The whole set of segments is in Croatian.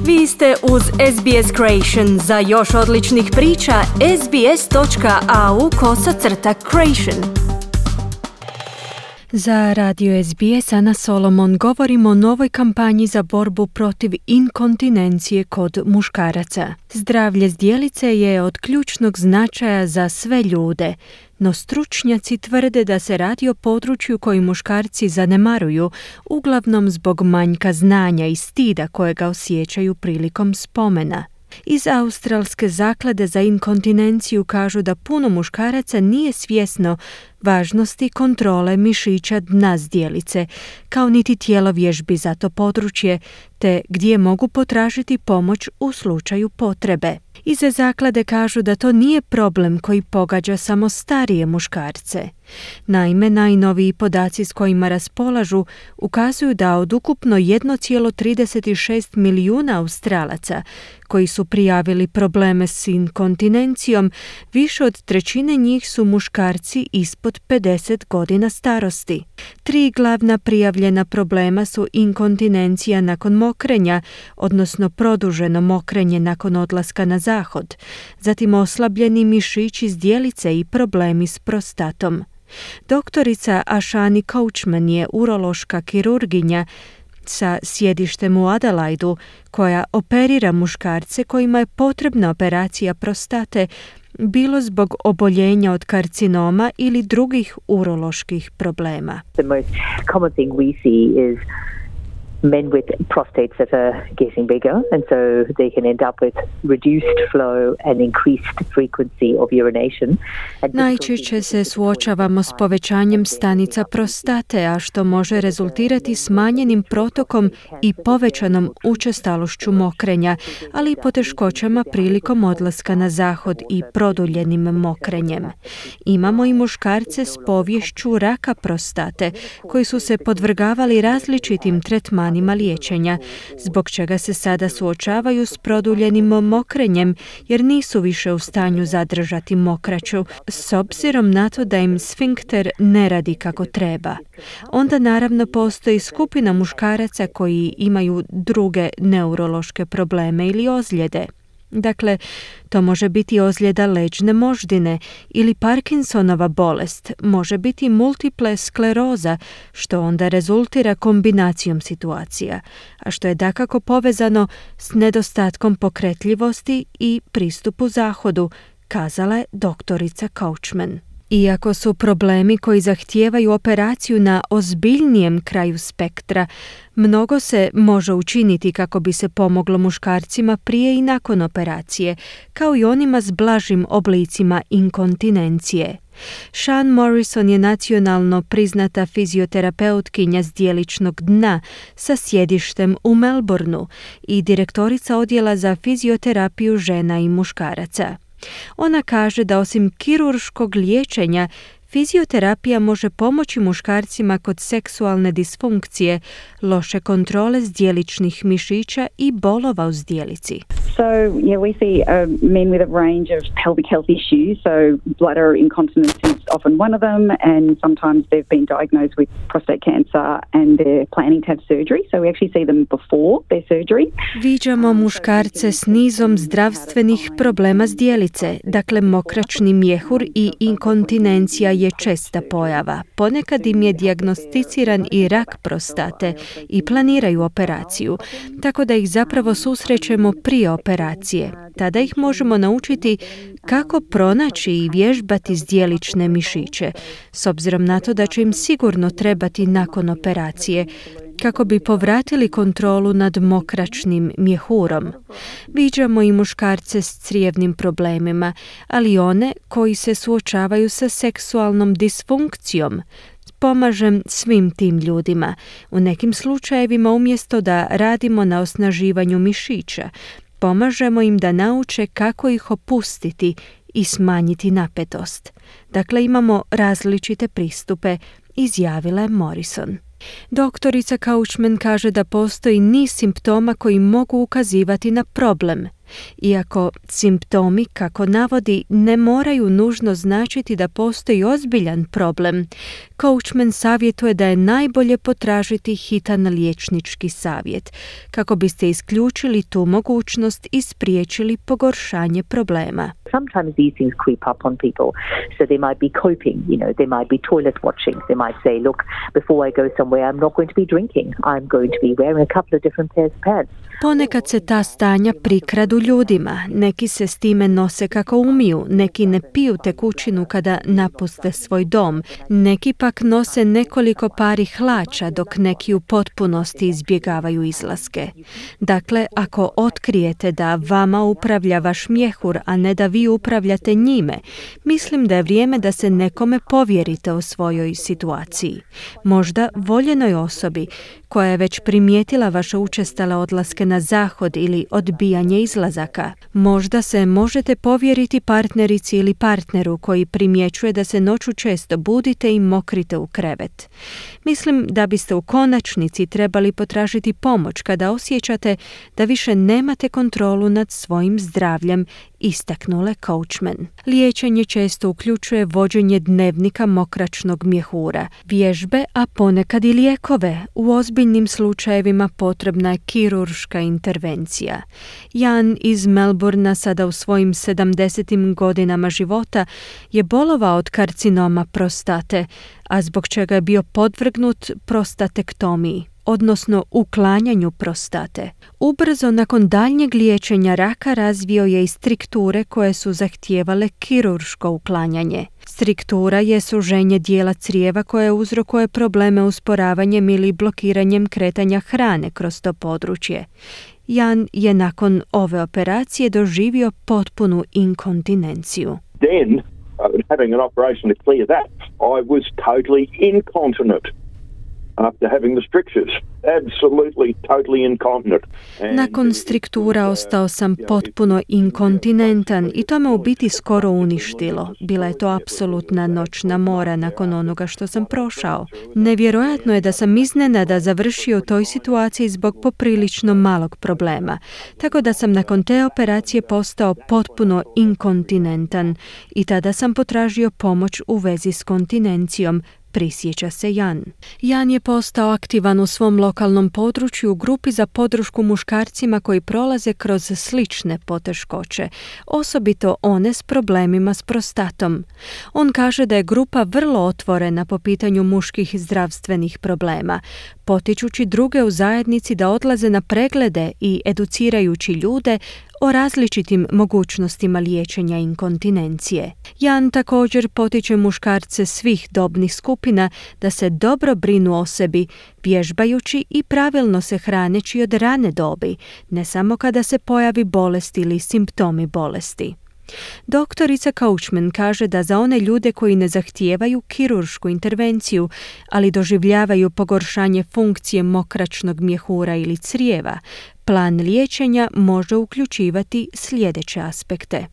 Vi ste uz SBS Creation. Za još odličnih priča, sbs.au/creation. Za radio SBS Ana Solomon govorimo o novoj kampanji za borbu protiv inkontinencije kod muškaraca. Zdravlje zdjelice je od ključnog značaja za sve ljude, no stručnjaci tvrde da se radi o području koji muškarci zanemaruju, uglavnom zbog manjka znanja i stida kojega osjećaju prilikom spomena. Iz Australske zaklade za inkontinenciju kažu da puno muškaraca nije svjesno važnosti kontrole mišića dna zdjelice, kao niti tjelovježbi za to područje, te gdje mogu potražiti pomoć u slučaju potrebe. Iz zaklade kažu da to nije problem koji pogađa samo starije muškarce. Naime, najnoviji podaci s kojima raspolažu ukazuju da od ukupno 1,36 milijuna Australaca koji su prijavili probleme s inkontinencijom, više od trećine njih su muškarci ispod 50 godina starosti. 3 glavna prijavljena problema su inkontinencija nakon mokrenja, odnosno produženo mokrenje nakon odlaska na zahod, zatim oslabljeni mišići zdjelice i problemi s prostatom. Doktorica Ashani Coachman je urološka kirurginja sa sjedištem u Adelaidu koja operira muškarce kojima je potrebna operacija prostate, bilo zbog oboljenja od karcinoma ili drugih uroloških problema. The most common thing we see is men with prostates that are getting bigger, and so they can end up with reduced flow and increased frequency of urination. Najčešće se suočavamo s povećanjem stanica prostate, a što može rezultirati smanjenim protokom i povećanom učestalošću mokrenja, ali i poteškoćama prilikom odlaska na zahod i produljenim mokrenjem. Imamo i muškarce s poviješću raka prostate, koji su se podvrgavali različitim tretmanima liječenja, zbog čega se sada suočavaju s produljenim mokrenjem jer nisu više u stanju zadržati mokraću, s obzirom na to da im sfinkter ne radi kako treba. Onda naravno postoji skupina muškaraca koji imaju druge neurološke probleme ili ozljede. Dakle, to može biti ozljeda leđne moždine ili Parkinsonova bolest, može biti multiple skleroza, što onda rezultira kombinacijom situacija, a što je dakako povezano s nedostatkom pokretljivosti i pristupu zahodu, kazala je doktorica Coachman. Iako su problemi koji zahtijevaju operaciju na ozbiljnijem kraju spektra, mnogo se može učiniti kako bi se pomoglo muškarcima prije i nakon operacije, kao i onima s blažim oblicima inkontinencije. Sean Morrison je nacionalno priznata fizioterapeutkinja zdjeličnog dna sa sjedištem u Melbourneu i direktorica odjela za fizioterapiju žena i muškaraca. Ona kaže da osim kirurškog liječenja, fizioterapija može pomoći muškarcima kod seksualne disfunkcije, loše kontrole zdjeličnih mišića i bolova u zdjelici. So, we see men with a range of pelvic health issues. So, bladder incontinence is often one of them, and sometimes they've been diagnosed with prostate cancer and they're planning to have surgery. So, we actually see them before their surgery. Viđamo muškarce s nizom zdravstvenih problema zdjelice, dakle mokračni mjehur i inkontinencija je česta pojava. Ponekad im je dijagnosticiran i rak prostate i planiraju operaciju, tako da ih zapravo susrećemo prije operacije. Tada ih možemo naučiti kako pronaći i vježbati zdjelične mišiće, s obzirom na to da će im sigurno trebati nakon operacije, kako bi povratili kontrolu nad mokračnim mjehurom. Viđamo i muškarce s crijevnim problemima, ali one koji se suočavaju sa seksualnom disfunkcijom. Pomažem svim tim ljudima. U nekim slučajevima umjesto da radimo na osnaživanju mišića, pomažemo im da nauče kako ih opustiti i smanjiti napetost. Dakle, imamo različite pristupe, izjavila je Morrison. Doktorica Coachman kaže da postoji niz simptoma koji mogu ukazivati na problem. Iako simptomi, kako navodi, ne moraju nužno značiti da postoji ozbiljan problem, Coachman savjetuje da je najbolje potražiti hitan liječnički savjet, kako biste isključili tu mogućnost i spriječili pogoršanje problema. Sometimes these things creep up on people, so they might be coping, they might be toilet watching, they might say, look, before I go somewhere I'm not going to be drinking, I'm going to be wearing a couple of different pairs of pants. Ponekad se ta stanja prikradu ljudima, neki se s time nose kako umiju, neki ne piju tekućinu kada napuste svoj dom, neki pak nose nekoliko pari hlača dok neki u potpunosti izbjegavaju izlaske. Dakle, ako otkrijete da vama upravlja vaš mjehur, a ne da vi upravljate njime, mislim da je vrijeme da se nekome povjerite o svojoj situaciji. Možda voljenoj osobi koja je već primijetila vaše učestale odlaske na zahod ili odbijanje izlazaka. Možda se možete povjeriti partnerici ili partneru koji primjećuje da se noću često budite i mokrite u krevet. Mislim da biste u konačnici trebali potražiti pomoć kada osjećate da više nemate kontrolu nad svojim zdravljem, istaknule Coachman. Liječenje često uključuje vođenje dnevnika mokračnog mjehura, vježbe, a ponekad i lijekove. U ozbiljnim slučajevima potrebna je kirurška intervencija. Jan iz Melbournea, sada u svojim 70. godinama života, je bolovao od karcinoma prostate, a zbog čega je bio podvrgnut prostatektomiji, odnosno uklanjanju prostate. Ubrzo nakon daljnjeg liječenja raka razvio je i strikture koje su zahtijevale kirurško uklanjanje. Striktura je suženje dijela crijeva koje uzrokuje probleme usporavanjem ili blokiranjem kretanja hrane kroz to područje. Jan je nakon ove operacije doživio potpunu inkontinenciju. Then, having an operation to clear that, I was totally incontinent. After having the strictures, absolutely totally incontinent. Nakon striktura ostao sam potpuno inkontinentan i to me u biti skoro uništilo. Bila je to apsolutna noćna mora nakon onoga što sam prošao. Nevjerojatno je da sam iznenada završio u toj situaciji zbog poprilično malog problema. Tako da sam nakon te operacije postao potpuno inkontinentan i tada sam potražio pomoć u vezi s kontinencijom, prisjeća se Jan. Jan je postao aktivan u svom lokalnom području u grupi za podršku muškarcima koji prolaze kroz slične poteškoće, osobito one s problemima s prostatom. On kaže da je grupa vrlo otvorena po pitanju muških zdravstvenih problema, potičući druge u zajednici da odlaze na preglede i educirajući ljude o različitim mogućnostima liječenja inkontinencije. Jan također potiče muškarce svih dobnih skupina da se dobro brinu o sebi, vježbajući i pravilno se hraneći od rane dobi, ne samo kada se pojavi bolest ili simptomi bolesti. Doktorica Coachman kaže da za one ljude koji ne zahtijevaju kiruršku intervenciju, ali doživljavaju pogoršanje funkcije mokračnog mjehura ili crijeva, plan liječenja može uključivati sljedeće aspekte.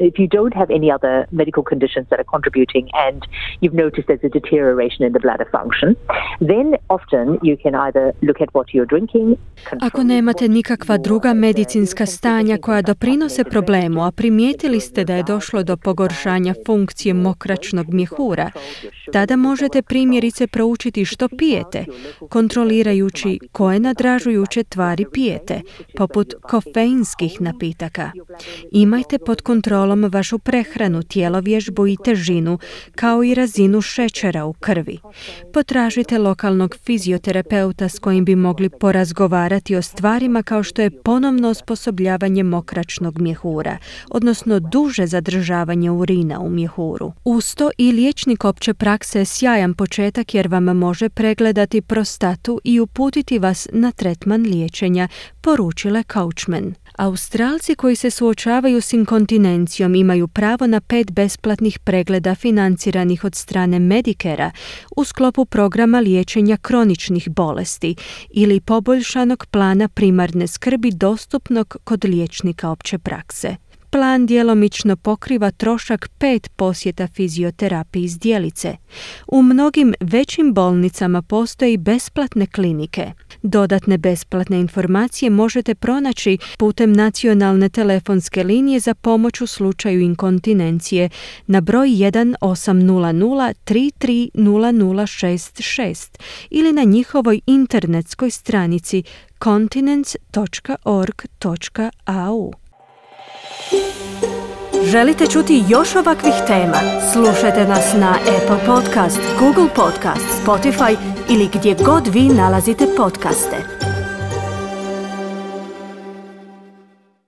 If you don't have any other medical conditions that are contributing and you've noticed there's a deterioration in the bladder function, then often you can either look at what you're drinking. Ako nemate nikakva druga medicinska stanja koja doprinose problemu, a primijetili ste da je došlo do pogoršanja funkcije mokračnog mjehura, tada možete primjerice proučiti što pijete, kontrolirajući koje nadražujuće tvari pijete, poput kofeinskih napitaka. Imajte pod kontrolom vašu prehranu, tjelovježbu i težinu, kao i razinu šećera u krvi. Potražite lokalnog fizioterapeuta s kojim bi mogli porazgovarati o stvarima kao što je ponovno osposobljavanje mokračnog mjehura, odnosno duže zadržavanje urina u mjehuru. Uz to i liječnik opće prakse je sjajan početak jer vam može pregledati prostatu i uputiti vas na tretman liječenja, poručila Coachman. Australci koji se suočavaju s inkontinencijom imaju pravo na 5 besplatnih pregleda financiranih od strane Medicarea u sklopu programa liječenja kroničnih bolesti ili poboljšanog plana primarne skrbi dostupnog kod liječnika opće prakse. plan djelomično pokriva trošak 5 posjeta fizioterapiji zdjelice. U mnogim većim bolnicama postoji besplatne klinike. Dodatne besplatne informacije možete pronaći putem nacionalne telefonske linije za pomoć u slučaju inkontinencije na broj 1800 33 0066 ili na njihovoj internetskoj stranici continence.org.au. Želite čuti još ovakvih tema? Slušajte nas na Apple Podcast, Google Podcast, Spotify ili gdje god vi nalazite podcaste.